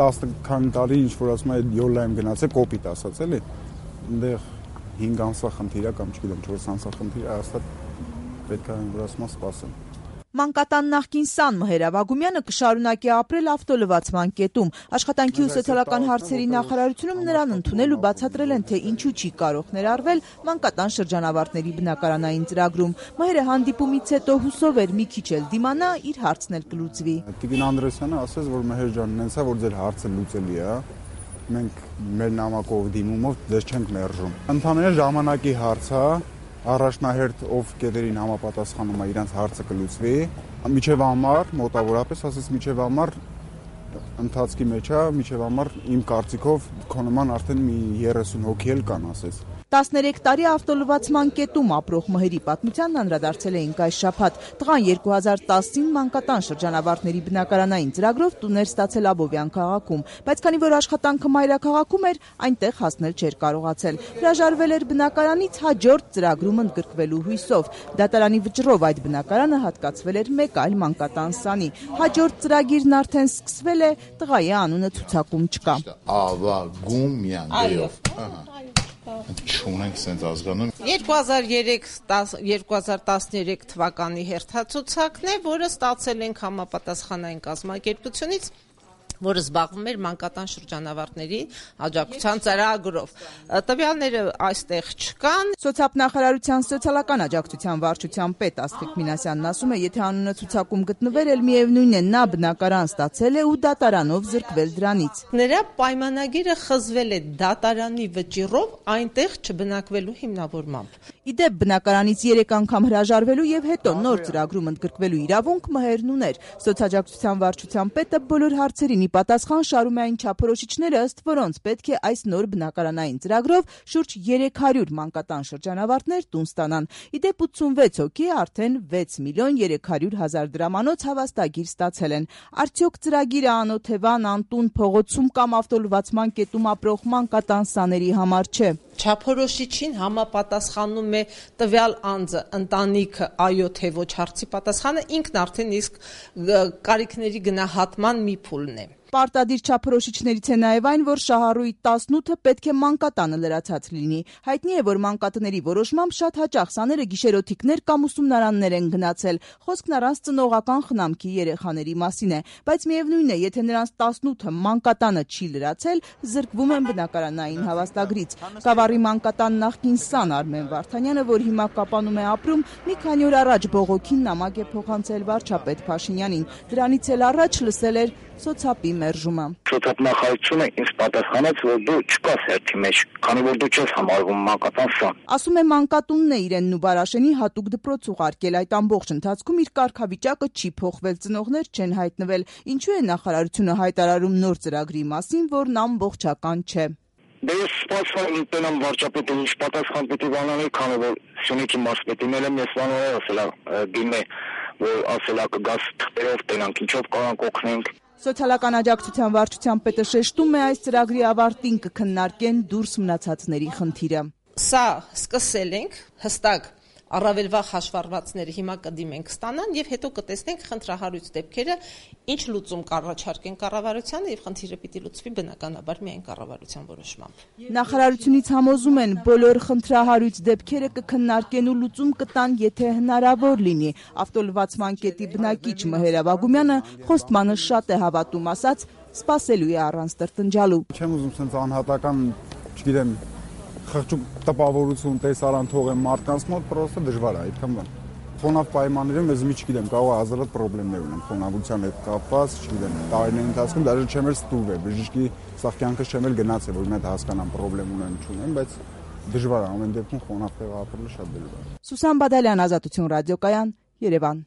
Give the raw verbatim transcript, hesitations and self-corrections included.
տասը քանի տարի ինչ որ ասում է յոլա եմ գնացել կոպիտ ասած էլի այնտեղ հինգ ամսվա խնդիր է կամ չգիտեմ չորս ամսվա խնդիր է հաստատ պետք է որ ասում սպասեմ Մանկատան նախկին սան Մհեր Ավագումյանը կշարունակի ապրել ավտոլվացման կետում։ Աշխատանքի ու սոցիալական հարցերի նախարարությունում նրան ընդունել ու բացատրել են, թե ինչու չի կարող ներառվել մանկատան շրջանավարտների բնակարանային ծրագրում։ Մհերը հանդիպումից հետո հուսով էր մի քիչ էլ դիմանա, իր հարցն էլ կլուծվի։ Տիկին Անդրեսյանը ասաց, որ Մհեր ջան, նենց է, որ ձեր հարցը լուծելի է, մենք մեր նամակով դիմումով ձեզ չենք մերժում։ Ընդհանրապես ժամանակի հարց է Առաջնահերթ ով կետերին համապատասխանում է իրանց հարցը կլուծվի միջև ամառ մոտավորապես ասես միջև ամառ ընթացքի մեջ է միջև ամառ իմ կարծիքով քո նման արդեն մի երեսուն հոգի էլ կան ասես տասներեք տարի ավտոլվացման կետում ապրող Մհերի պատմությանն անդրադարձել էինք այս շաբաթ։ Տղան երկու հազար տասին մանկատան շրջանավարտների բնակարանային ծրագրով տուներ ստացել Աբովյան քաղաքում, բայց քանի որ աշխատանքը մայրաքաղաքում էր, այնտեղ հասնել չէր կարողացել։ Հրաժարվել էր բնակարանից հաջորդ ծրագրում ընդգրկվելու հույսով։ Դատարանի վճռով այդ բնակարանը հատկացվել էր մեկ այլ մանկատան սանի։ Հաջորդ ծրագիրն արդեն սկսվել է, տղայի անունը ցուցակում չկա։ Ավագումյան դեով։ Չունենք սենց ազգանում։ երկու հազար երեք երկու հազար տասներեք թվականի հերթացուցակն է, որը ստացել ենք համապատասխանային կազմակերպությունից, որը զբաղվում էր մանկատան շրջանավարտների աջակցության ծրագրով։ Տվյալները այստեղ չկան։ Սոցիալնախարարության սոցիալական աջակցության վարչության պետ Աստղիկ Մինասյանն ասում է, եթե անունը ցուցակում գտնվեր, էլ միևնույն է, նա բնակարան ստացել է ու դատարանով զրկվել դրանից։ Նրա պայմանագիրը խզվել է դատարանի վճիռով այնտեղ չբնակվելու հիմնավորմամբ։ Իդեպ բնակարանից երեք անգամ հրաժարվելու եւ հետո նոր ծրագրում ընդգրկվելու իրավունք Մհերն ուներ։ Սոցիալաջակցության վարչության պետը բոլոր հարցերին պատասխան շարում է այն չափորոշիչները, ըստ որոնց պետք է այս նոր բնակարանային ծրագրով շուրջ երեք հարյուր մանկատան շրջանավարտներ տուն ստանան։ Իդեպ ութսունվեց հոգի արդեն վեց միլիոն երեք հարյուր հազար դրամանոց հավաստագիր ստացել են։ Արդյոք ծրագիրը անօթևան, անտուն, փողոցում կամ ավտոլվացման կետում ապրող մանկատան սաների համար չէ։ Չափորոշիչին համապատասխանում է տվյալ անձը, ընտանիքը, այո թե ոչ հարցի պատասխանը ինքն արդեն իսկ կարիքների գնահատման մի փուլն է։ Պարտադիր չափորոշիչներից է նաև այն, որ շահառուի տասնութը պետք է մանկատանը լրացած լինի։ Հայտնի է, որ մանկատների որոշմամբ շատ հաճախ սաները գիշերօթիկներ կամ ուսումնարաններ են գնացել։ Խոսքն առանց ծնողական խնամքի երեխաների մասին է, բայց միևնույն է, եթե նրանց տասնութը մանկատանը չի լրացել, զրկվում են բնակարանային հավաստագրից։ Գավառի մանկատան նախկին սան Արմեն Վարդանյանը, որ հիմա Կապանում է ապրում, մի քանի օր առաջ բողոքին նամակ է փոխանցել վարչապետ Փաշինյանին։ Դրանից էլ առաջ լսել էր սոցապի մերժումը։ Սոցիալնախարարությունը ինձ պատասխանեց, որ դու չկաս հերթի մեջ, քանի որ դու չես համարվում մանկատան սան։ Ասում է մանկատունն է իրենն ու Բարաշենի հատուկ դպրոց ուղարկել, այդ ամբողջ ընթացքում իր կարգավիճակը չի փոխվել, ծնողներ չեն հայտնվել։ Ինչու է նախարարությունը հայտարարում նոր ծրագրի մասին, որն ամբողջական չէ։ Դե ես սպասում եմ տենամ վարչապետը ինչ պատասխան պիտի բանաներ, քանի որ Սյունիքի մարզպետին էլ եմ ես բանորը ասելա դիմե, որ ասելա կգաս թղթերով տենանք, ինչով կարանք օգնենք։ Սոցիալական աջակցության վարչության պետը շեշտում է, այս ծրագրի ավարտին կքննարկեն դուրս մնացածների խնդիրը։ Սա սկսել ենք հստակ առավելվա հաշվառվածները հիմա կդիմենք ստանան եւ հետո կտեսնենք խնդրահարույց դեպքերը ինչ լուծում կառաջարկեն կառավարությանը եւ խնդիրը պիտի լուծվի բնականաբար միայն կառավարության որոշմամբ։ Նախարարությունից համոզում են բոլոր խնդրահարույց դեպքերը կքննարկեն ու լուծում կտան, եթե հնարավոր լինի։ Ավտոլվացման կետի բնակիչ Մհեր Ավագումյանը խոստմանը շատ է հավատում, ասաց սպասելու է առանց տրտնջալու։ Չեմ ուզում sense անհատական, չգիտեմ, խղճուկ տպավորություն տեսարան թողեմ մարդկանց մոտ, պրոստը դժվար է այդքան բան։ Խոնավ պայմաններում ես մի չգիտեմ, կարող է հազարդ խնդիրներ ունեմ խոնավության հետ կապված, չգիտեմ, տարիների ընթացքում դաժե չեմ էլ ստուգվել, բժշկի սա կյանքս չեմ էլ գնացել, որ մենք հասկանամ խնդրեմ ունեմ, չունեմ, բայց դժվար է ամեն դեպքում խոնավ տեղ ապրելը շատ դժվար է։ Սուսան Բադալյան, Ազատություն ռադիոկայան, Երևան։